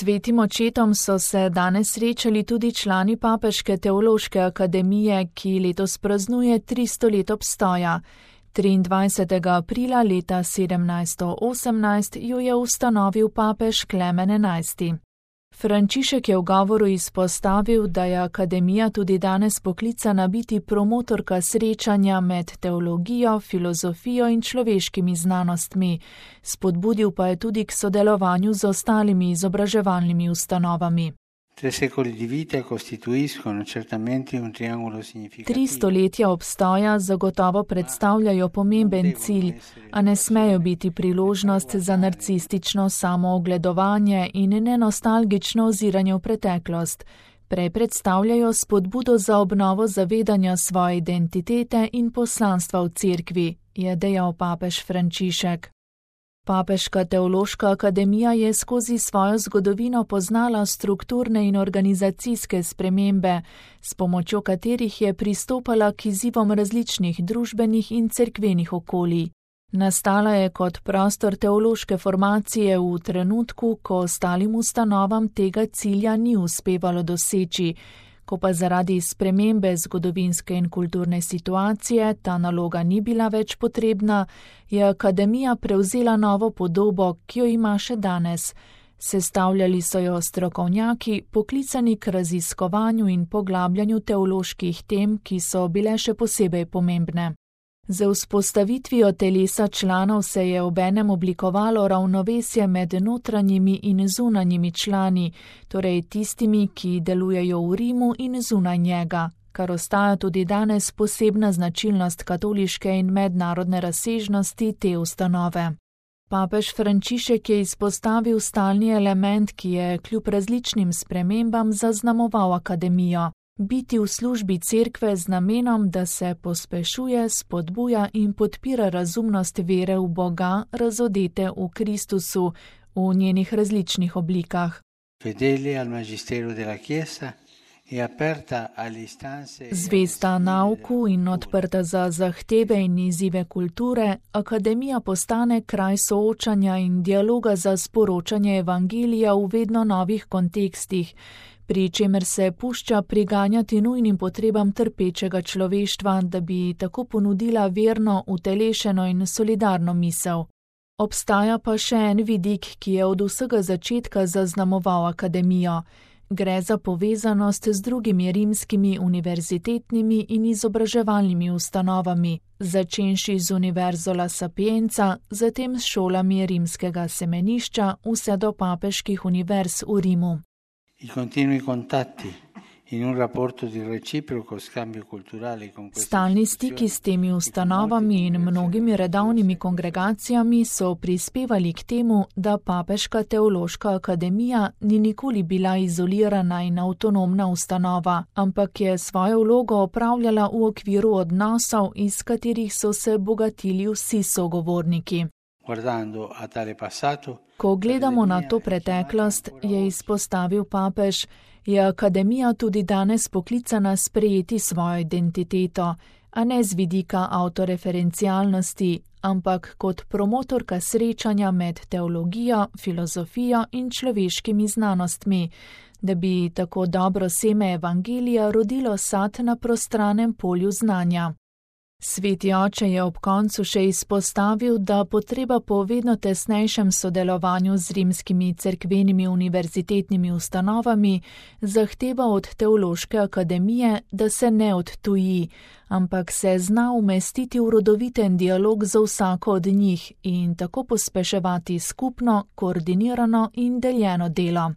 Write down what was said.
Svetim očetom so se danes srečali tudi člani Papeške teološke akademije, ki letos praznuje 300 let obstoja. 23. aprila leta 1718 jo je ustanovil papež Klemen XI. Frančišek je v govoru izpostavil, da je akademija tudi danes poklicana biti promotorka srečanja med teologijo, filozofijo in človeškimi znanostmi. Spodbudil pa je tudi k sodelovanju z ostalimi izobraževalnimi ustanovami. 3 stoletja obstoja zagotovo predstavljajo pomemben cilj, a ne smejo biti priložnost za narcistično samoogledovanje in nenostalgično oziranje v preteklost. Prej predstavljajo spodbudo za obnovo zavedanja svoje identitete in poslanstva v cerkvi, je dejal papež Frančišek. Papeška teološka akademija je skozi svojo zgodovino poznala strukturne in organizacijske spremembe, s pomočjo katerih je pristopala k izzivom različnih družbenih in cerkvenih okolij. Nastala je kot prostor teološke formacije v trenutku, ko ostalim ustanovam tega cilja ni uspevalo doseči. Ko pa zaradi spremembe zgodovinske in kulturne situacije ta naloga ni bila več potrebna, je akademija prevzela novo podobo, ki jo ima še danes. Sestavljali so jo strokovnjaki, poklicani k raziskovanju in poglabljanju teoloških tem, ki so bile še posebej pomembne. Z vzpostavitvijo telesa članov se je obenem oblikovalo ravnovesje med notranjimi in zunanjimi člani, torej tistimi, ki delujejo v Rimu in zunaj njega, kar ostaja tudi danes posebna značilnost katoliške in mednarodne razsežnosti te ustanove. Papež Frančišek je izpostavil stalni element, ki je kljub različnim spremembam zaznamoval akademijo. Biti v službi cerkve z namenom, da se pospešuje, spodbuja in podpira razumnost vere v Boga, razodete v Kristusu, v njenih različnih oblikah. Zvesta nauku in odprta za zahteve in izzive kulture, akademija postane kraj soočanja in dialoga za sporočanje evangelija v vedno novih kontekstih, pri čemer se pušča priganjati nujnim potrebam trpečega človeštva, da bi tako ponudila verno, utelešeno in solidarno misel. Obstaja pa še en vidik, ki je od vsega začetka zaznamoval akademijo. Gre za povezanost z drugimi rimskimi univerzitetnimi in izobraževalnimi ustanovami, začenši z Univerzo La Sapienza, zatem s šolami rimskega semenišča, vse do papeških univerz v Rimu. Stalni stiki s temi ustanovami in mnogimi redovnimi kongregacijami so prispevali k temu, da Papeška teološka akademija ni nikoli bila izolirana in avtonomna ustanova, ampak je svojo vlogo opravljala v okviru odnosov, iz katerih so se bogatili vsi sogovorniki. Ko gledamo na to preteklost, je izpostavil papež, je akademija tudi danes poklicana sprejeti svojo identiteto, a ne z vidika avtoreferencialnosti, ampak kot promotorka srečanja med teologijo, filozofijo in človeškimi znanostmi, da bi tako dobro seme evangelija rodilo sad na prostranem polju znanja. Sveti oče je ob koncu še izpostavil, da potreba po vedno tesnejšem sodelovanju z rimskimi cerkvenimi univerzitetnimi ustanovami zahteva od teološke akademije, da se ne odtuji, ampak se zna umestiti v rodoviten dialog z vsako od njih in tako pospeševati skupno, koordinirano in deljeno delo.